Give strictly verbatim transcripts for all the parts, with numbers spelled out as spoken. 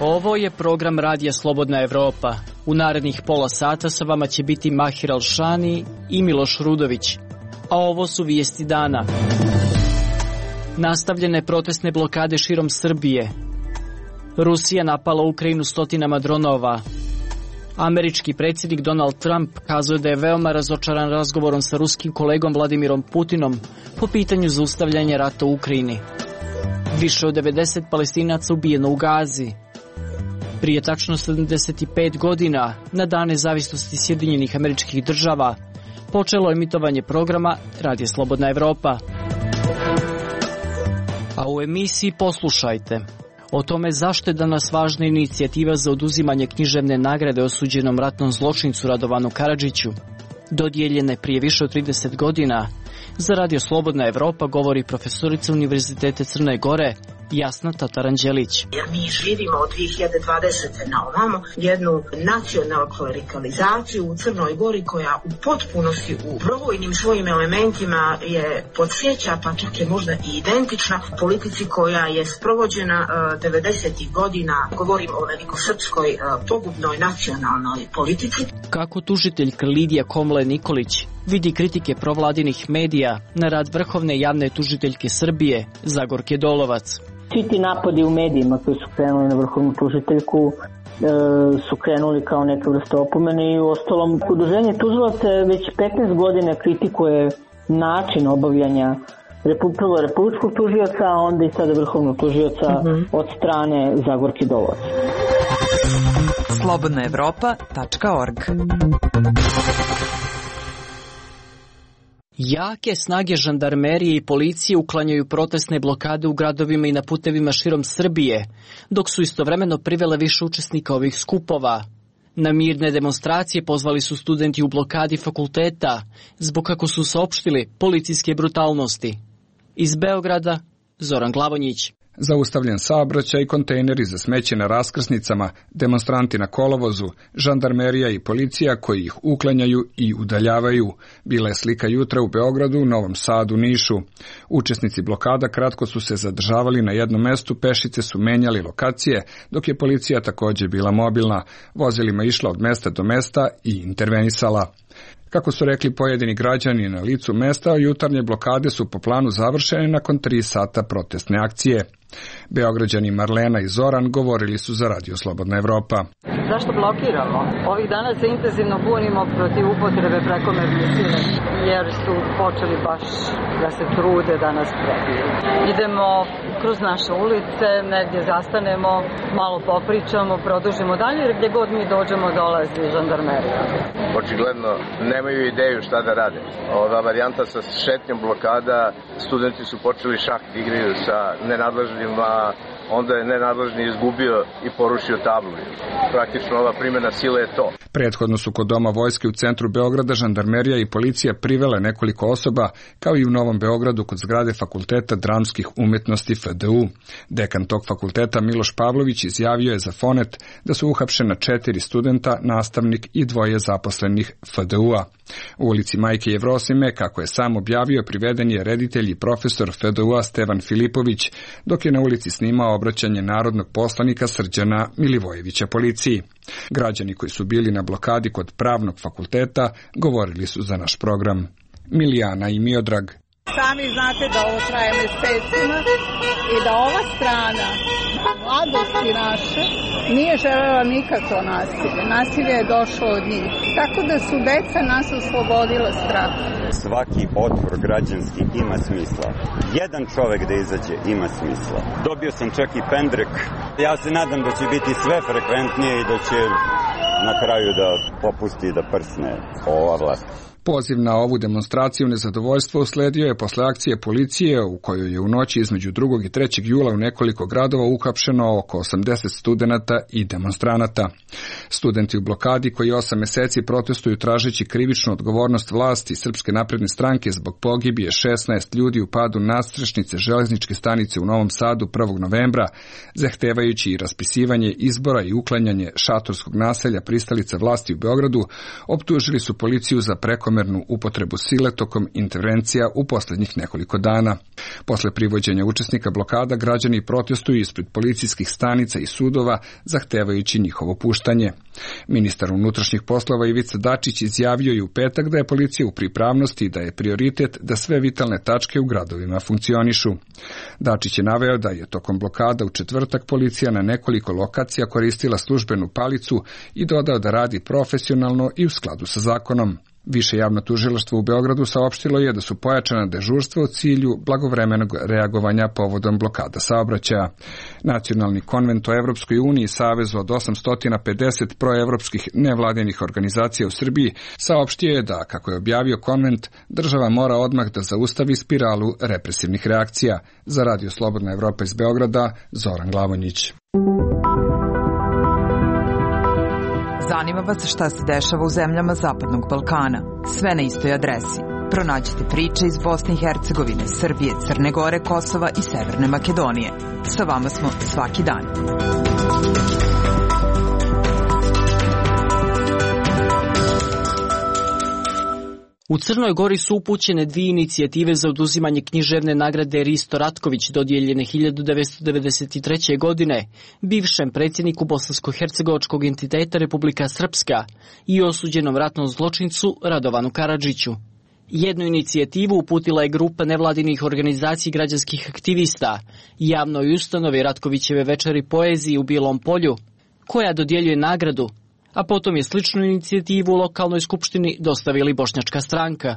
Ovo je program Radija Slobodna Evropa. U narednih pola sata sa vama će biti Mahir Alšani i Miloš Rudović. A ovo su vijesti dana. Nastavljene protestne blokade širom Srbije. Rusija napala Ukrajinu stotinama dronova. Američki predsjednik Donald Trump kazao da je veoma razočaran razgovorom sa ruskim kolegom Vladimirom Putinom po pitanju zaustavljanja rata u Ukrajini. Više od devedeset Palestinaca ubijeno u Gazi. Prije tačno sedamdeset pet godina, na dan nezavisnosti Sjedinjenih Američkih Država, počelo emitovanje programa Radija Slobodna Evropa. A u emisiji poslušajte o tome zašto je danas važna inicijativa za oduzimanje književne nagrade osuđenom ratnom zločincu Radovanu Karadžiću. Dodijeljene prije više od trideset godina, za Radio Slobodna Evropa govori profesorica Univerziteta Crne Gore Jasna Tataranđelić. Jer mi živimo od dvije hiljade dvadesete na ovamo jednu nacionalnu klerikalizaciju u Crnoj Gori koja u potpunosti u brojnim svojim elementima je podsjeća, pa čak je možda i identična politici koja je sprovođena uh, devedesetih godina, govorim o velikosrpskoj uh, pogubnoj nacionalnoj politici. Kako tužiteljka Lidija Komle Nikolić vidi kritike provladinih medija na rad vrhovne javne tužiteljke Srbije Zagorke Dolovac. Svi ti napadi u medijima koji su krenuli na vrhovnu tužiteljku e, su krenuli kao neka vrsta opomene i u ostalom udruženje tužilaca već petnaest godina kritikuje način obavljanja prvo republičkog tužioca, a onda i sada vrhovnog tužioca mm-hmm. od strane Zagorke Dolovac. slobodna evropa tačka org. Jake snage žandarmerije i policije uklanjaju protestne blokade u gradovima i na putevima širom Srbije, dok su istovremeno privele više učesnika ovih skupova. Na mirne demonstracije pozvali su studenti u blokadi fakulteta, zbog kako su saopštili policijske brutalnosti. Iz Beograda, Zoran Glavonjić. Zaustavljen saobraćaj, kontejneri za smeće na raskrsnicama, demonstranti na kolovozu, žandarmerija i policija koji ih uklanjaju i udaljavaju. Bila je slika jutra u Beogradu, Novom Sadu, Nišu. Učesnici blokada kratko su se zadržavali na jednom mestu, pešice su menjali lokacije, dok je policija također bila mobilna. Vozilima išla od mesta do mesta i intervenisala. Kako su rekli pojedini građani na licu mesta, jutarnje blokade su po planu završene nakon tri sata protestne akcije. Beograđani Marlena i Zoran govorili su za Radio Slobodna Evropa. Zašto blokiramo? Ovih dana se intenzivno bunimo protiv upotrebe prekomerne sile, jer su počeli baš da se trude da nas prebiju. Idemo kroz naše ulice, negdje zastanemo, malo popričamo, produžimo dalje, jer gdje god mi dođemo dolazi žandarmerija. Očigledno nemaju ideju šta da rade. Ova varijanta sa šetnjom blokada, studenti su počeli šah da igraju sa nenadležnima, onda je nenadležni izgubio i porušio tablu. Praktično ova primjena sile je to. Prethodno su kod Doma vojske u centru Beograda žandarmerija i policija privele nekoliko osoba, kao i u Novom Beogradu kod zgrade Fakulteta dramskih umjetnosti F D U. Dekan tog fakulteta Miloš Pavlović izjavio je za Fonet da su uhapšena četiri studenta, nastavnik i dvoje zaposlenih F D U-a. U ulici Majke Jevrosime, kako je sam objavio, priveden je reditelj i profesor F D U-a Stevan Filipović, dok je na ulici snimao obraćanje narodnog poslanika Srđana Milivojevića policiji. Građani koji su bili na blokadi kod pravnog fakulteta govorili su za naš program. Milijana i Miodrag. Sami znate da ovo traje mesecima i da ova strana mladosti naše nije želela nikakvo nasilje. Nasilje je došlo od njih. Tako da su deca nas oslobodila straha. Svaki otpor građanski ima smisla. Jedan čovek da izađe ima smisla. Dobio sam čak i pendrek. Ja se nadam da će biti sve frekventnije i da će na kraju da popusti da prsne ova vlast. Poziv na ovu demonstraciju nezadovoljstva usledio je posle akcije policije u kojoj je u noći između drugog i trećeg jula u nekoliko gradova uhapšeno oko osamdeset studenata i demonstranata. Studenti u blokadi koji osam meseci protestuju tražeći krivičnu odgovornost vlasti Srpske napredne stranke zbog pogibije šesnaest ljudi u padu nadstrešnice železničke stanice u Novom Sadu prvog novembra, zahtevajući i raspisivanje izbora i uklanjanje šatorskog naselja pristalica vlasti u Beogradu, optužili su policiju za preko prekomernu upotrebu sile tokom intervencija u posljednjih nekoliko dana. Posle privođenja učesnika blokada, građani protestuju ispred policijskih stanica i sudova, zahtevajući njihovo puštanje. Ministar unutrašnjih poslova Ivica Dačić izjavio je u petak da je policija u pripravnosti i da je prioritet da sve vitalne tačke u gradovima funkcionišu. Dačić je naveo da je tokom blokada u četvrtak policija na nekoliko lokacija koristila službenu palicu i dodao da radi profesionalno i u skladu sa zakonom. Više javno tužilaštvo u Beogradu saopštilo je da su pojačana dežurstva u cilju blagovremenog reagovanja povodom blokada saobraćaja. Nacionalni konvent o Evropskoj uniji, savezu od osamsto pedeset proevropskih nevladinih organizacija u Srbiji, saopštio je da, kako je objavio konvent, država mora odmah da zaustavi spiralu represivnih reakcija. Za Radio Slobodna Evropa iz Beograda, Zoran Glavonjić. Zanima vas šta se dešava u zemljama Zapadnog Balkana. Sve na istoj adresi. Pronađite priče iz Bosne i Hercegovine, Srbije, Crne Gore, Kosova i Severne Makedonije. Sa vama smo svaki dan. U Crnoj Gori su upućene dvije inicijative za oduzimanje književne nagrade Risto Ratković, dodijeljene hiljadu devetsto devedeset treće. godine bivšem predsjedniku bosansko-hercegovačkog entiteta Republika Srpska i osuđenom ratnom zločincu Radovanu Karadžiću. Jednu inicijativu uputila je grupa nevladinih organizacija građanskih aktivista javnoj ustanovi Ratkovićeve večeri poeziji u Bilom Polju, koja dodjeljuje nagradu, a potom je sličnu inicijativu u lokalnoj skupštini dostavili Bošnjačka stranka.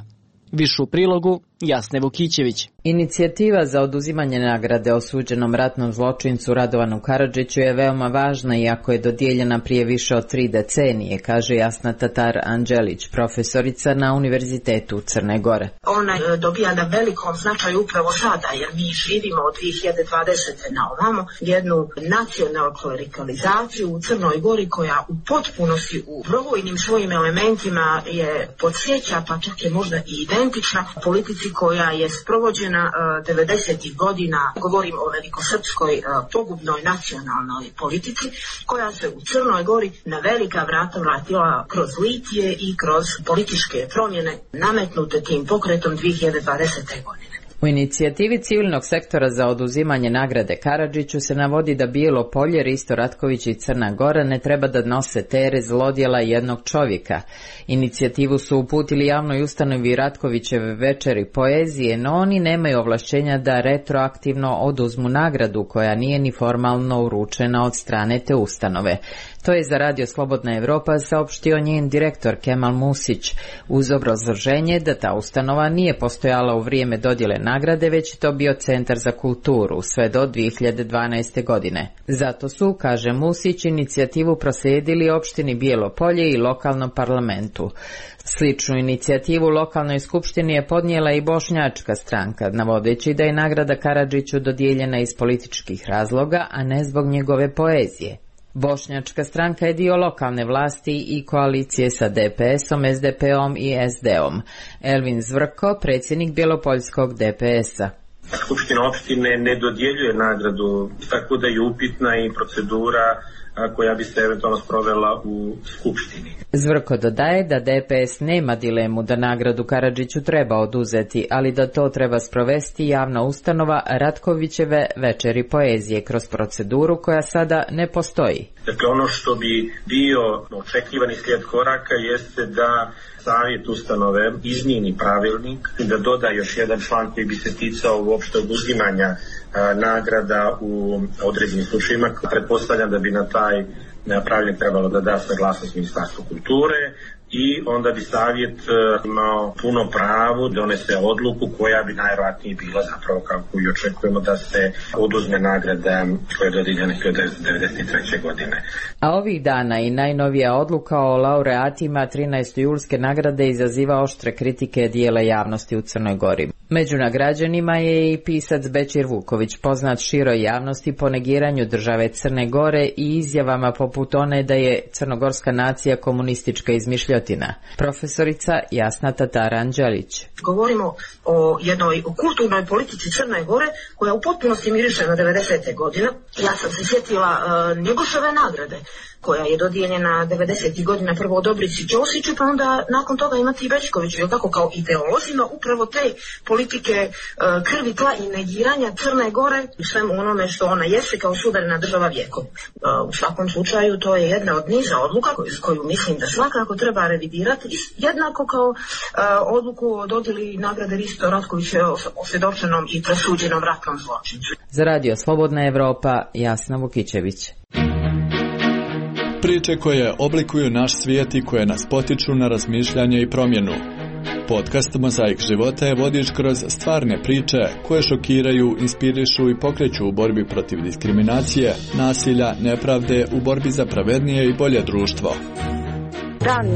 Više u prilogu Jasne Vukićević. Inicijativa za oduzimanje nagrade osuđenom ratnom zločincu Radovanu Karadžiću je veoma važna, iako je dodijeljena prije više od tri decenije, kaže Jasna Tatar Anđelić, profesorica na Univerzitetu Crne Gore. Ona dobija na velikom značaju upravo sada, jer mi živimo od dvije hiljade dvadesete. na ovamo jednu nacionalnu klerikalizaciju u Crnoj Gori koja u potpunosti u brojnim svojim elementima je podsjeća, pa čak je možda i identična politici koja je sprovođena uh, devedesetih godina, govorim o velikosrpskoj uh, pogubnoj nacionalnoj politici, koja se u Crnoj Gori na velika vrata vratila kroz litije i kroz političke promjene nametnute tim pokretom dvije hiljade dvadesete. godine. U inicijativi civilnog sektora za oduzimanje nagrade Karadžiću se navodi da Bijelo Polje, Risto Ratković i Crna Gora ne treba da nose teret zlodjela jednog čovjeka. Inicijativu su uputili javnoj ustanovi Ratkovićeve večeri poezije, no oni nemaju ovlašćenja da retroaktivno oduzmu nagradu koja nije ni formalno uručena od strane te ustanove. To je za Radio Slobodna Evropa saopštio njen direktor Kemal Musić, uz obrazloženje da ta ustanova nije postojala u vrijeme dodjele nagrade, već je to bio Centar za kulturu sve do dvije hiljade dvanaeste. godine. Zato su, kaže Musić, inicijativu proslijedili opštini Bijelo Polje i lokalnom parlamentu. Sličnu inicijativu lokalnoj skupštini je podnijela i Bošnjačka stranka, navodeći da je nagrada Karadžiću dodijeljena iz političkih razloga, a ne zbog njegove poezije. Bošnjačka stranka je dio lokalne vlasti i koalicije sa D P S-om, S D P-om i S D-om. Elvin Zvrko, predsjednik Bjelopoljskog D P S-a. Skupština opštine ne dodjeljuje nagradu, tako da je upitna i procedura koja bi se eventualno sprovela u Skupštini. Zvrko dodaje da D P S nema dilemu da nagradu Karadžiću treba oduzeti, ali da to treba sprovesti javna ustanova Ratkovićeve večeri poezije kroz proceduru koja sada ne postoji. Dakle, ono što bi bio očekivani slijed koraka jeste da savjet ustanove izmijeni pravilnik, da doda još jedan član koji bi se ticao uopšte oduzimanja nagrada u određenim slučajima. Pretpostavljam da bi na taj pravilnik trebalo da da saglasnost Ministarstva kulture i onda bi savjet imao puno pravo da donese odluku koja bi najvjerojatnije bila zapravo kako i očekujemo da se oduzme nagrada koja je dodijeljena hiljadu devetsto devedeset treće. godine. A ovih dana i najnovija odluka o laureatima trinaeste julske nagrade izaziva oštre kritike dijela javnosti u Crnoj Gori. Među nagrađenima je i pisac Bećir Vuković, poznat široj javnosti po negiranju države Crne Gore i izjavama poput one da je crnogorska nacija komunistička izmišljotina izmišljotina. Profesorica Jasna Tataranđelić. Govorimo o jednoj kulturnoj politici Crne Gore koja u potpunosti miriše na devedesete godine. Ja sam se sjetila uh, Njegoševe nagrade koja je dodijeljena devedesetih godina prvo Dobrici Ćosiću, pa onda nakon toga imati i Bećkoviću, je tako, kao ideolozima upravo te politike uh, krvi, tla i negiranja Crne Gore u svemu onome što ona jeste kao suverena država vijekom. Uh, u svakom slučaju to je jedna od niza odluka koju, koju mislim da svakako treba revidirati, jednako kao uh, odluku o dodjeli nagrade Risto Ratkoviću osvjedočenom i presuđenom ratnom zločincu. Za Radio Slobodna Evropa, Jasna Vukićević. Priče koje oblikuju naš svijet i koje nas potiču na razmišljanje i promjenu. Podcast Mozaik života je vodič kroz stvarne priče koje šokiraju, inspirišu i pokreću u borbi protiv diskriminacije, nasilja, nepravde, u borbi za pravednije i bolje društvo. Dan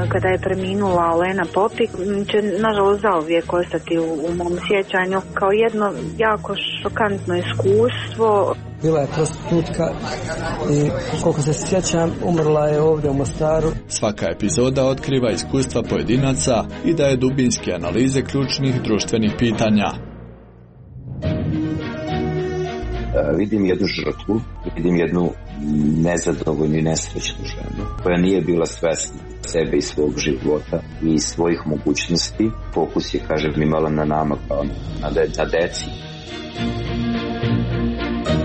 kada je preminula Olena Popik će nažalost zauvijek ostati u, u mom sjećanju kao jedno jako šokantno iskustvo. Bila je prostitutka i koliko se sjećam umrla je ovdje u Mostaru. Svaka epizoda otkriva iskustva pojedinaca i daje dubinske analize ključnih društvenih pitanja. Vidim jednu žrtvu, vidim jednu nezadovoljnu i nesrećnu ženu koja nije bila svesna sebe i svog života i svojih mogućnosti. Fokus je, kažem, imala na nama kao na, de, na deci.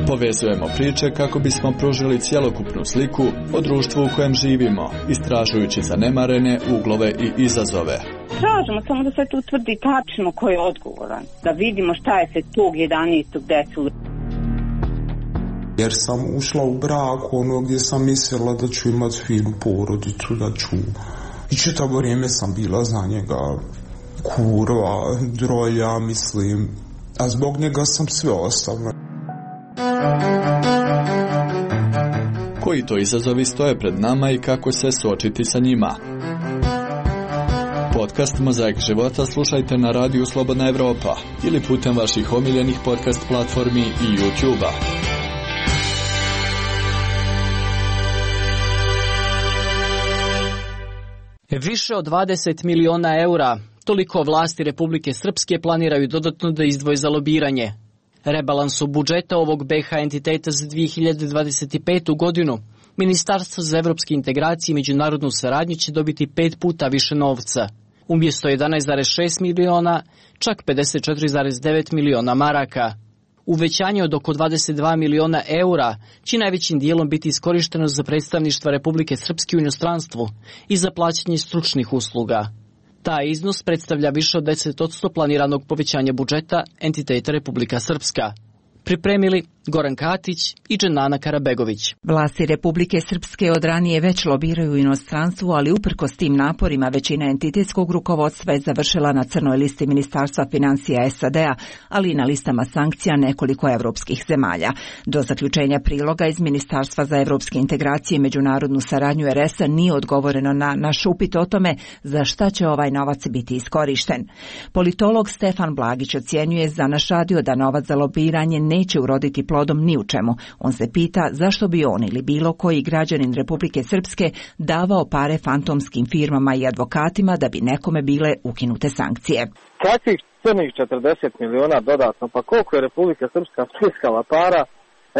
Povezujemo priče kako bismo pružili cjelokupnu sliku o društvu u kojem živimo, istražujući zanemarene uglove i izazove. Tražimo samo da se tu utvrdi tačno ko je odgovoran, da vidimo šta je se tog jedanaestog desilo. Jer sam ušla u brak ono gdje sam mislila da ću imati finu porodicu, da ću... I čitavo vrijeme sam bila za njega kurva, droja, mislim. A zbog njega sam sve ostavila. Koji to izazovi stoje pred nama i kako se suočiti sa njima? Podcast Mozaik života slušajte na radiju Slobodna Evropa ili putem vaših omiljenih podcast platformi i YouTube-a. Više od dvadeset miliona eura, toliko vlasti Republike Srpske planiraju dodatno da izdvoje za lobiranje. Rebalansu budžeta ovog be ha entiteta za dvije hiljade dvadeset petu. godinu Ministarstvo za evropske integracije i međunarodnu saradnju će dobiti pet puta više novca. Umjesto jedanaest zarez šest miliona, čak pedeset četiri zarez devet miliona maraka. Uvećanje od oko dvadeset dva miliona eura će najvećim dijelom biti iskorišteno za predstavništva Republike Srpske u inostranstvu i za plaćanje stručnih usluga. Taj iznos predstavlja više od deset posto planiranog povećanja budžeta entiteta Republika Srpska. Pripremili Goran Katić i Dženana Karabegović. Vlasti Republike Srpske od ranije već lobiraju u inostranstvu, ali uprkos tim naporima većina entitetskog rukovodstva je završila na crnoj listi Ministarstva financija es a de a, ali i na listama sankcija nekoliko evropskih zemalja. Do zaključenja priloga iz Ministarstva za evropske integracije i međunarodnu saradnju er es a nije odgovoreno na naš upit o tome za šta će ovaj novac biti iskorišten. Politolog Stefan Blagić ocjenjuje za naš radio da novac za lobiranje neće uroditi plodom ni u čemu. On se pita zašto bi on ili bilo koji građanin Republike Srpske davao pare fantomskim firmama i advokatima da bi nekome bile ukinute sankcije. Kakvih crnih četrdeset miliona dodatno, pa koliko je Republika Srpska stiskala para,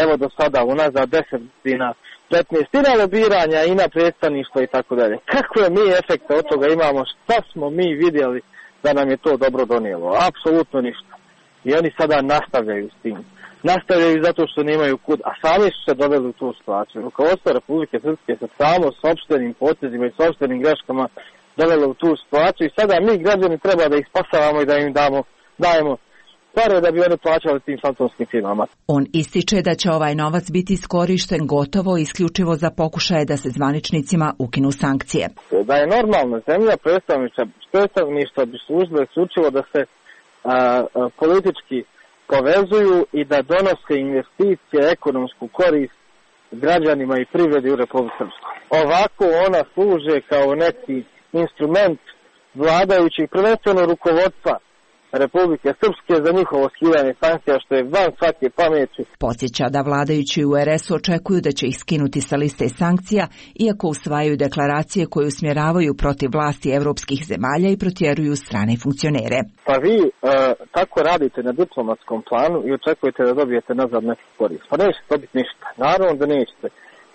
evo do sada unazad deset godina, petnaest i na lobiranja i na predstavništvo i tako dalje. Kakve mi efekte od toga imamo, šta smo mi vidjeli da nam je to dobro donijelo? Apsolutno ništa. I oni sada nastavljaju s tim. Nastavljaju zato što nemaju kud, a sami su se doveli u tu situaciju. Rukovodstvo Republike Srpske se samo s opštenim potezima i s opštenim greškama dovelo u tu situaciju i sada mi građani treba da ih spasavamo i da im damo, dajemo pare da bi oni plaćali tim fantomskim firmama. On ističe da će ovaj novac biti iskorišten gotovo isključivo za pokušaje da se zvaničnicima ukinu sankcije. Da je normalna zemlja, predstavništva bi službe isključivo da se a, a, politički povezuju i da donose investicije, ekonomsku korist građanima i privredi u Republici Srpskoj. Ovako ona služe kao neki instrument vladajućih, prvenstveno rukovodstva Republike Srpske za njihovo skidanje sankcija, što je van svake pameti. Podsjeća da vladajući u er esu očekuju da će ih skinuti sa liste sankcija, iako usvajaju deklaracije koje usmjeravaju protiv vlasti evropskih zemalja i protjeruju strane funkcionere. Pa vi e, tako radite na diplomatskom planu i očekujete da dobijete nazad neku korist. Pa nećete dobiti ništa. Naravno da nećete.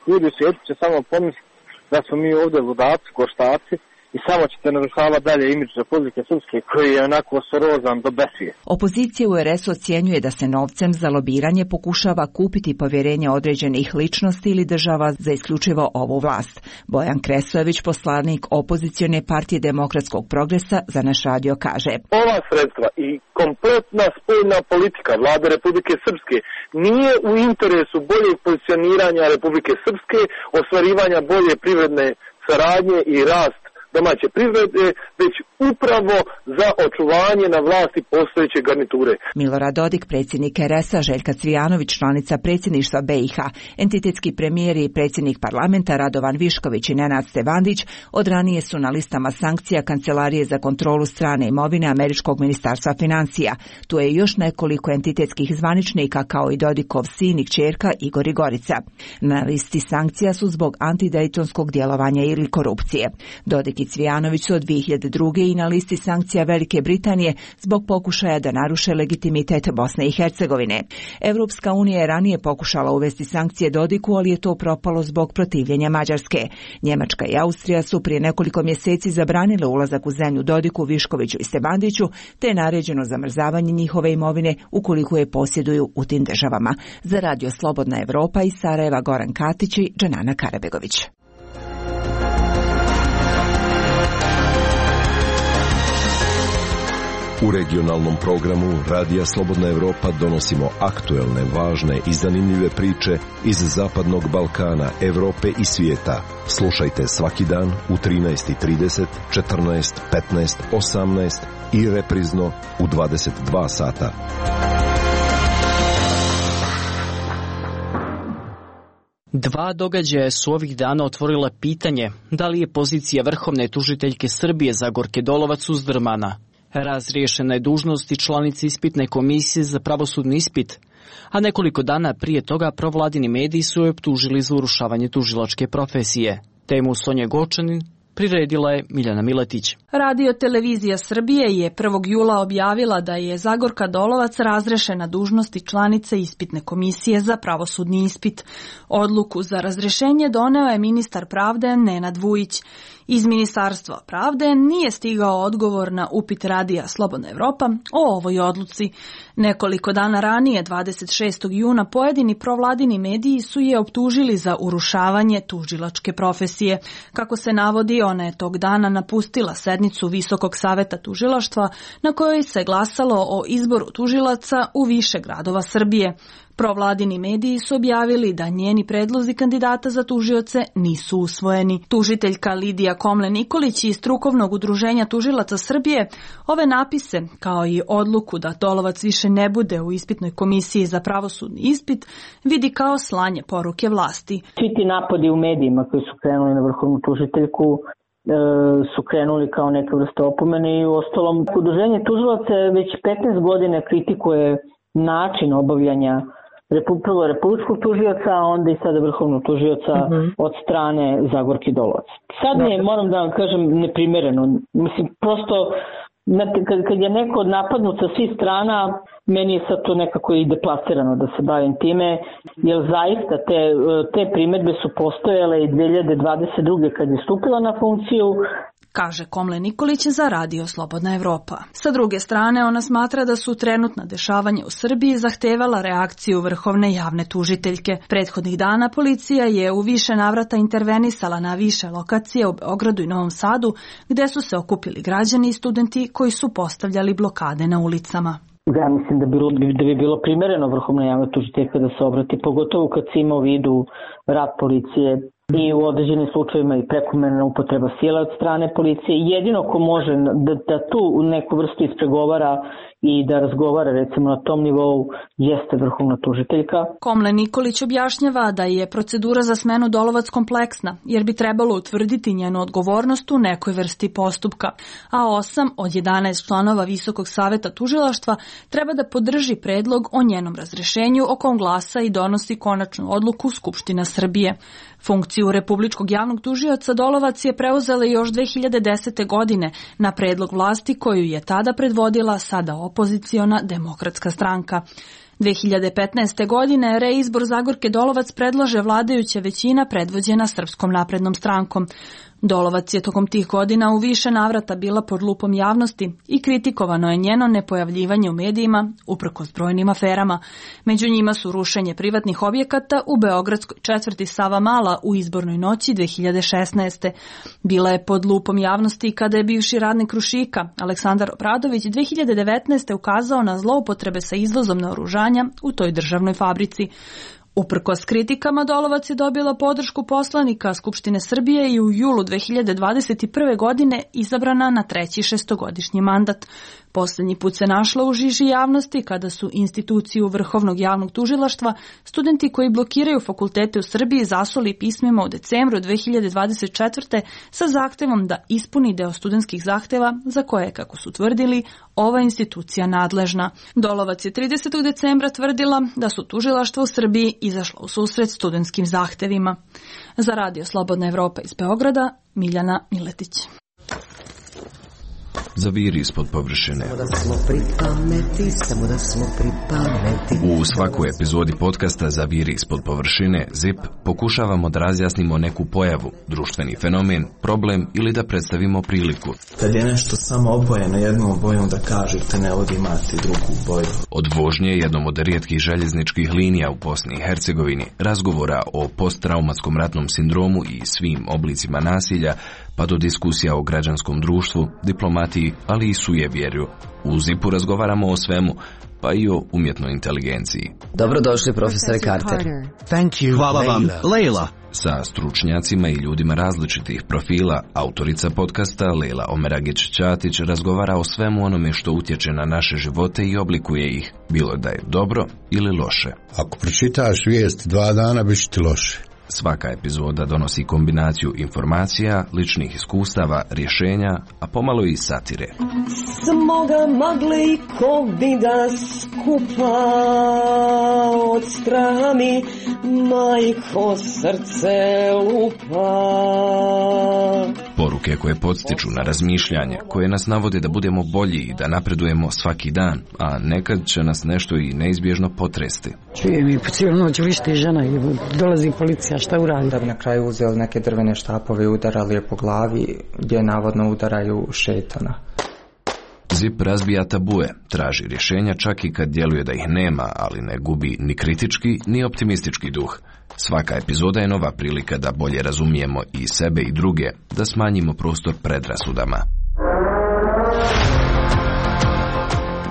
Ljudi u svijetu će samo pomisliti da smo mi ovdje ludaci, koštaci, i samo ćete narušavati dalje imidž Republike Srpske koji je onako sorozan do besvije. Opozicija u er esu ocjenjuje da se novcem za lobiranje pokušava kupiti povjerenje određenih ličnosti ili država za isključivo ovu vlast. Bojan Kresojević, poslanik opozicione partije Demokratskog progresa, za naš radio kaže: Ova sredstva i kompletna spoljna politika vlade Republike Srpske nije u interesu boljeg pozicioniranja Republike Srpske, ostvarivanja bolje privredne saradnje i rast domaće privrede, već upravo za očuvanje na vlasti postojeće garniture. Milorad Dodik, predsjednik er esa, Željka Cvijanović, članica predsjedništva be i ha, entitetski premijer i predsjednik parlamenta Radovan Višković i Nenad Stevandić od ranije su na listama sankcija Kancelarije za kontrolu strane imovine Američkog ministarstva financija. Tu je još nekoliko entitetskih zvaničnika kao i Dodikov sin i kćerka Igor i Gorica. Na listi sankcija su zbog antidejtonskog djelovanja ili korupcije. Dodik i Cvijanović su od dvije hiljade druge i na listi sankcija Velike Britanije zbog pokušaja da naruše legitimitet Bosne i Hercegovine. Evropska unija je ranije pokušala uvesti sankcije Dodiku, ali je to propalo zbog protivljenja Mađarske. Njemačka i Austrija su prije nekoliko mjeseci zabranile ulazak u zemlju Dodiku, Viškoviću i Stebandiću, te je naređeno zamrzavanje njihove imovine ukoliko je posjeduju u tim državama. Za Radio Slobodna Evropa iz Sarajeva, Goran Katić i Džanana Karabegović. U regionalnom programu Radija Slobodna Evropa donosimo aktuelne, važne i zanimljive priče iz Zapadnog Balkana, Evrope i svijeta. Slušajte svaki dan u trinaest i trideset, četrnaest, petnaest, osamnaest i reprizno u dvadeset dva sata. Dva događaja su ovih dana otvorila pitanje da li je pozicija vrhovne tužiteljke Srbije Zagorke Dolovac uzdrmana. Razriješena je dužnost i članica ispitne komisije za pravosudni ispit, a nekoliko dana prije toga provladini mediji su je optužili za urušavanje tužilačke profesije. Temu Sonje Gočanin priredila je Miljana Miletić. Radio Televizija Srbije je prvog jula objavila da je Zagorka Dolovac razrešena dužnosti članice ispitne komisije za pravosudni ispit. Odluku za razrešenje doneo je ministar pravde Nenad Vujić. Iz Ministarstva pravde nije stigao odgovor na upit Radija Slobodna Evropa o ovoj odluci. Nekoliko dana ranije, dvadeset šestog juna, pojedini provladini mediji su je optužili za urušavanje tužilačke profesije. Kako se navodi, ona je tog dana napustila sednicu Visokog saveta tužilaštva na kojoj se glasalo o izboru tužilaca u više gradova Srbije. Provladini mediji su objavili da njeni predlozi kandidata za tužioce nisu usvojeni. Tužiteljka Lidija Komlen-Nikolić iz Strukovnog udruženja tužilaca Srbije ove napise, kao i odluku da Dolovac više ne bude u ispitnoj komisiji za pravosudni ispit, vidi kao slanje poruke vlasti. Svi ti napadi u medijima koji su krenuli na vrhovnu tužiteljku e, su krenuli kao neka vrsta opomene i u ostalom udruženje tužilaca već petnaest godina kritikuje način obavljanja prvo republičkog tužioca, a onda i sada vrhovnog tužioca mm-hmm. od strane Zagorke Dolovac. Sad mi je, moram da vam kažem, neprimereno. Mislim, prosto, kad, kad je neko napadnut sa svih strana, meni je sad to nekako i deplasirano da se bavim time, jer zaista te, te primedbe su postojale i dvije hiljade dvadeset druge kad je stupila na funkciju, kaže Komlen-Nikolić za Radio Slobodna Evropa. Sa druge strane, ona smatra da su trenutna dešavanja u Srbiji zahtevala reakciju vrhovne javne tužiteljke. Prethodnih dana policija je u više navrata intervenisala na više lokacije u Beogradu i Novom Sadu, gde su se okupili građani i studenti koji su postavljali blokade na ulicama. Ja mislim da bi, da bi bilo primereno vrhovna javna tužiteljka da se obrati, pogotovo kad se ima u vidu rad policije i u određenim slučajevima i prekomerna upotreba sile od strane policije. Jedino ko može da, da tu neku vrstu ispregovara i da razgovara recimo na tom nivou jeste vrhovna tužiteljka. Komlen Nikolić objašnjava da je procedura za smenu Dolovac kompleksna, jer bi trebalo utvrditi njenu odgovornost u nekoj vrsti postupka, a osam od jedanaest članova Visokog saveta tužilaštva treba da podrži predlog o njenom razrešenju, o kom glasa i donosi konačnu odluku Skupština Srbije. Funkciju republičkog javnog tužioca Dolovac je preuzela još dve hiljade desete. godine na predlog vlasti koju je tada predvodila sada opoziciona Demokratska stranka. dve hiljade petnaeste. godine reizbor Zagorke Dolovac predlaže vladajuća većina predvođena Srpskom naprednom strankom. Dolovac je tokom tih godina u više navrata bila pod lupom javnosti i kritikovano je njeno nepojavljivanje u medijima uprkos brojnim aferama. Među njima su rušenje privatnih objekata u beogradskoj četvrti Savamala u izbornoj noći dve hiljade šesnaeste. Bila je pod lupom javnosti kada je bivši radnik Krušika Aleksandar Obradović dve hiljade devetnaeste. ukazao na zloupotrebe sa izvozom naoružanja u toj državnoj fabrici. Uprkos kritikama, Dolovac je dobila podršku poslanika Skupštine Srbije i u julu dve hiljade dvadeset prve. godine izabrana na treći šestogodišnji mandat. Posljednji put se našla u žiži javnosti kada su instituciju Vrhovnog javnog tužilaštva studenti koji blokiraju fakultete u Srbiji zasuli pismima u decembru dve hiljade dvadeset četvrte. sa zahtevom da ispuni deo studentskih zahteva za koje, kako su tvrdili, ova institucija nadležna. Dolovac je tridesetog decembra tvrdila da su tužilaštva u Srbiji izašla u susret studentskim zahtevima. Za Radio Slobodna Evropa iz Beograda, Miljana Miletić. Zaviri ispod površine. U svakoj epizodi podcasta Zaviri ispod površine Zip pokušavamo da razjasnimo neku pojavu, društveni fenomen, problem ili da predstavimo priliku. Kad je nešto samo obojeno jednom bojom, da kažete ne od imati drugu boju. Od vožnje jednom od rijetkih željezničkih linija u Bosni i Hercegovini, razgovora o posttraumatskom ratnom sindromu i svim oblicima nasilja, pa do diskusija o građanskom društvu, diplomatiji, ali i sujevjerju. U Zipu razgovaramo o svemu, pa i o umjetnoj inteligenciji. Dobrodošli, profesore Carter. Thank you, Hvala vam, Leila. Sa stručnjacima i ljudima različitih profila, autorica podcasta Leila Omeragić-Ćatić razgovara o svemu onome što utječe na naše živote i oblikuje ih, bilo da je dobro ili loše. Ako pročitaš vijesti dva dana, bit će ti loše. Svaka epizoda donosi kombinaciju informacija, ličnih iskustava, rješenja, a pomalo i satire. Smo ga mogli ko bi da skupa od strami, majko srce lupa. Poruke koje podstiču na razmišljanje, koje nas navode da budemo bolji i da napredujemo svaki dan, a nekad će nas nešto i neizbježno potresti. Čujem i po cijelu noć vište žena i dolazi policija, šta uradi? Da bi na kraju uzeli neke drvene štapove i udarali je po glavi, gdje navodno udaraju šetana. Zip razbija tabue, traži rješenja čak i kad djeluje da ih nema, ali ne gubi ni kritički ni optimistički duh. Svaka epizoda je nova prilika da bolje razumijemo i sebe i druge, da smanjimo prostor predrasudama.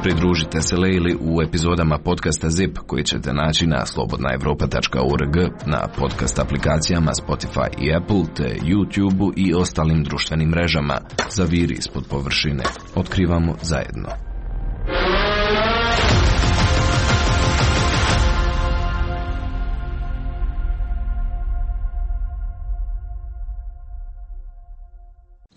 Pridružite se Leili u epizodama podcasta Zip koji ćete naći na slobodna evropa tačka org, na podcast aplikacijama Spotify i Apple, te YouTube i ostalim društvenim mrežama. Zaviri ispod površine. Otkrivamo zajedno.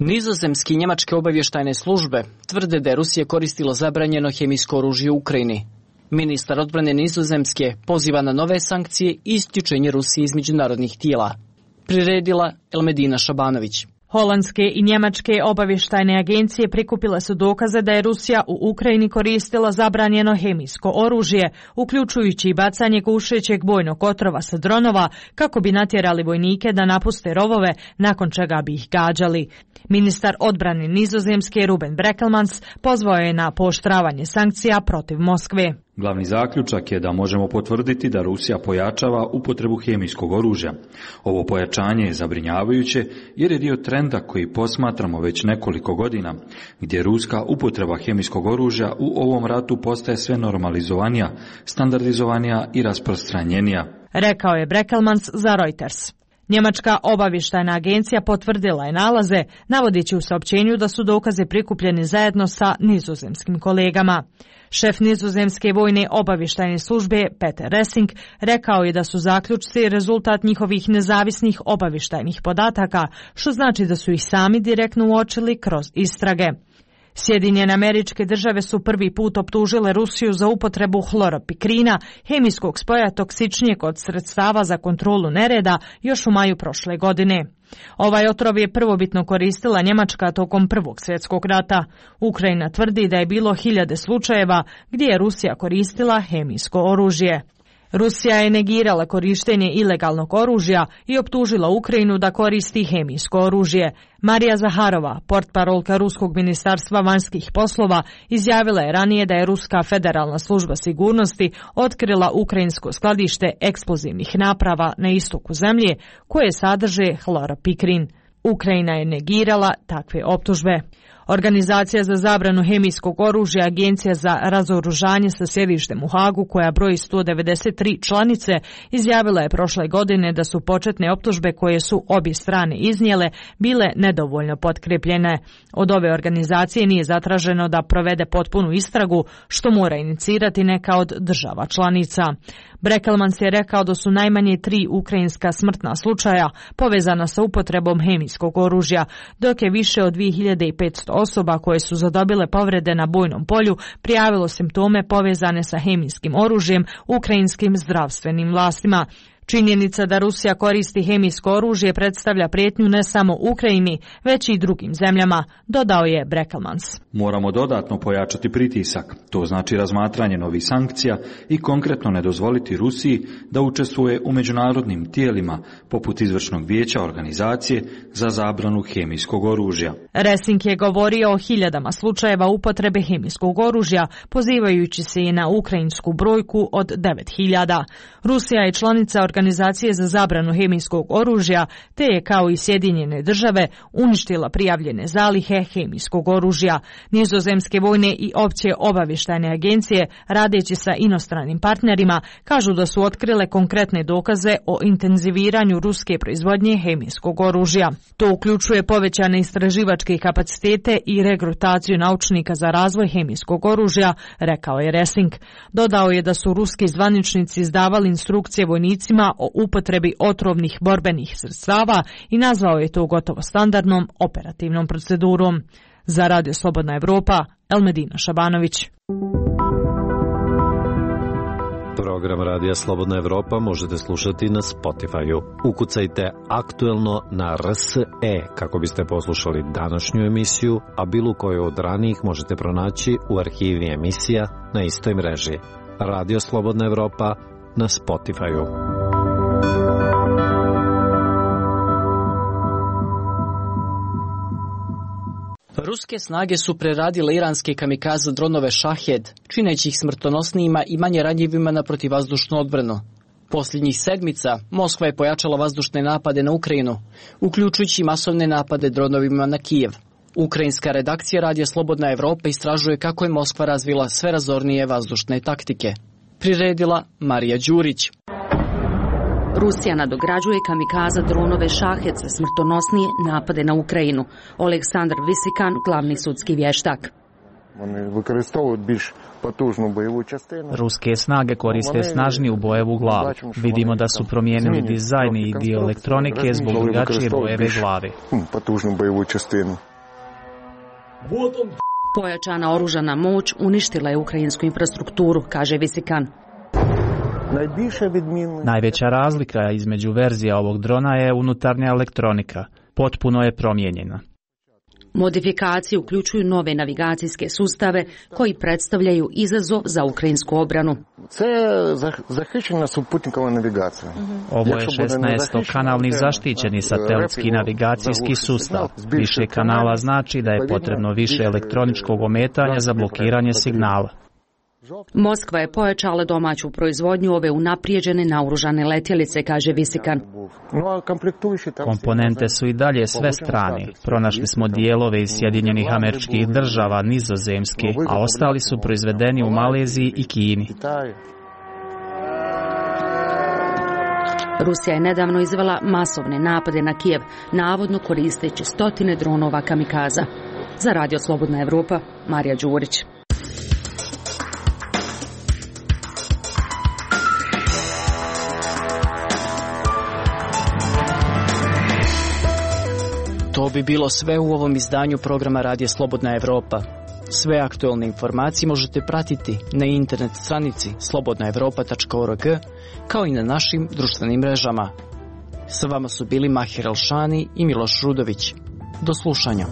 Nizozemski i njemačke obavještajne službe tvrde da je Rusija koristila zabranjeno hemijsko oružje u Ukrajini. Ministar odbrane Nizozemske poziva na nove sankcije i isključenje Rusije iz međunarodnih tijela. Priredila Elmedina Šabanović. Holandske i njemačke obavještajne agencije prikupile su dokaze da je Rusija u Ukrajini koristila zabranjeno hemijsko oružje, uključujući i bacanje gušećeg bojnog otrova sa dronova, kako bi natjerali vojnike da napuste rovove, nakon čega bi ih gađali. Ministar odbrane Nizozemske Ruben Brekelmans pozvao je na pooštravanje sankcija protiv Moskve. Glavni zaključak je da možemo potvrditi da Rusija pojačava upotrebu hemijskog oružja. Ovo pojačanje je zabrinjavajuće jer je dio trenda koji posmatramo već nekoliko godina, gdje ruska upotreba hemijskog oružja u ovom ratu postaje sve normalizovanija, standardizovanija i rasprostranjenija. Rekao je Brekelmans za Reuters. Njemačka obavještajna agencija potvrdila je nalaze, navodeći u saopćenju da su dokaze prikupljeni zajedno sa nizozemskim kolegama. Šef nizozemske vojne obavještajne službe Peter Ressing rekao je da su zaključci rezultat njihovih nezavisnih obavještajnih podataka, što znači da su ih sami direktno uočili kroz istrage. Sjedinjene Američke Države su prvi put optužile Rusiju za upotrebu hloropikrina, hemijskog spoja toksičnijeg od sredstava za kontrolu nereda, još u maju prošle godine. Ovaj otrov je prvobitno koristila Njemačka tokom Prvog svjetskog rata. Ukrajina tvrdi da je bilo hiljade slučajeva gdje je Rusija koristila hemijsko oružje. Rusija je negirala korištenje ilegalnog oružja i optužila Ukrajinu da koristi hemijsko oružje. Marija Zaharova, portparolka Ruskog ministarstva vanjskih poslova, izjavila je ranije da je Ruska federalna služba sigurnosti otkrila ukrajinsko skladište eksplozivnih naprava na istoku zemlje koje sadrže hloropikrin. Ukrajina je negirala takve optužbe. Organizacija za zabranu hemijskog oružja, Agencija za razoružanje sa sjedištem u Hagu, koja broji sto devedeset tri članice, izjavila je prošle godine da su početne optužbe koje su obje strane iznijele bile nedovoljno potkrepljene. Od ove organizacije nije zatraženo da provede potpunu istragu, što mora inicirati neka od država članica. Brekelmans je rekao da su najmanje tri ukrajinska smrtna slučaja povezana sa upotrebom hemijskog oružja, dok je više od dvije hiljade petsto osoba koje su zadobile povrede na bojnom polju prijavilo simptome povezane sa hemijskim oružjem ukrajinskim zdravstvenim vlastima. Činjenica da Rusija koristi hemijsko oružje predstavlja prijetnju ne samo Ukrajini, već i drugim zemljama, dodao je Brekelmans. Moramo dodatno pojačati pritisak, to znači razmatranje novih sankcija i konkretno ne dozvoliti Rusiji da učestvuje u međunarodnim tijelima, poput izvršnog vijeća organizacije za zabranu hemijskog oružja. Ressing je govorio o hiljadama slučajeva upotrebe hemijskog oružja, pozivajući se i na ukrajinsku brojku od devet hiljada. Rusija je članica Organizacije za zabranu hemijskog oružja, te je kao i Sjedinjene Države uništila prijavljene zalihe hemijskog oružja. Nizozemske vojne i opće obavještajne agencije, radeći sa inostranim partnerima, kažu da su otkrile konkretne dokaze o intenziviranju ruske proizvodnje hemijskog oružja. To uključuje povećane istraživačke kapacitete i regrutaciju naučnika za razvoj hemijskog oružja, rekao je Ressing. Dodao je da su ruski zvaničnici izdavali instrukcije vojnicima o upotrebi otrovnih borbenih sredstava i nazvao je to gotovo standardnom operativnom procedurom. Za Radio Slobodna Evropa, Elmedina Šabanović. Program Radija Slobodna Evropa možete slušati na Spotify-u. Ukucajte aktuelno na R S E kako biste poslušali današnju emisiju, a bilo koju od ranijih možete pronaći u arhivi emisija na istoj mreži. Radio Slobodna Evropa na Spotify-u. Ruske snage su preradile iranske kamikaze dronove Shahed, čineći ih smrtonosnijima i manje ranjivima na protivvazdušnu odbranu. Posljednjih sedmica Moskva je pojačala vazdušne napade na Ukrajinu, uključujući masovne napade dronovima na Kijev. Ukrajinska redakcija Radija Slobodna Evropa istražuje kako je Moskva razvila sve razornije vazdušne taktike. Priredila Marija Đurić. Rusija nadograđuje kamikaza dronove Shahed za smrtonosnije napade na Ukrajinu. Oleksandar Visikan, glavni sudski vještak. Ruske snage koriste snažniju bojevu glavu. Vidimo da su promijenili dizajn i dio elektronike zbog drugačije bojeve glave. Pojačana oružana moć uništila je ukrajinsku infrastrukturu, kaže Visikan. Najveća razlika između verzija ovog drona je unutarnja elektronika. Potpuno je promijenjena. Modifikacije uključuju nove navigacijske sustave koji predstavljaju izazov za ukrajinsku obranu. Ovo je šesnaestokanalni zaštićeni satelitski navigacijski sustav. Više kanala znači da je potrebno više elektroničkog ometanja za blokiranje signala. Moskva je pojačala domaću proizvodnju ove unaprijeđene naoružane letjelice, kaže Visikan. Komponente su i dalje sve strane. Pronašli smo dijelove iz Sjedinjenih Američkih Država, Nizozemske, a ostali su proizvedeni u Maleziji i Kini. Rusija je nedavno izvela masovne napade na Kijev, navodno koristeći stotine dronova kamikaza. Za Radio Slobodna Evropa, Marija Đurić. To bi bilo sve u ovom izdanju programa Radija Slobodna Evropa. Sve aktualne informacije možete pratiti na internet stranici slobodna evropa tačka org kao i na našim društvenim mrežama. Sa vama su bili Mahir Alšani i Miloš Rudović. Do slušanja.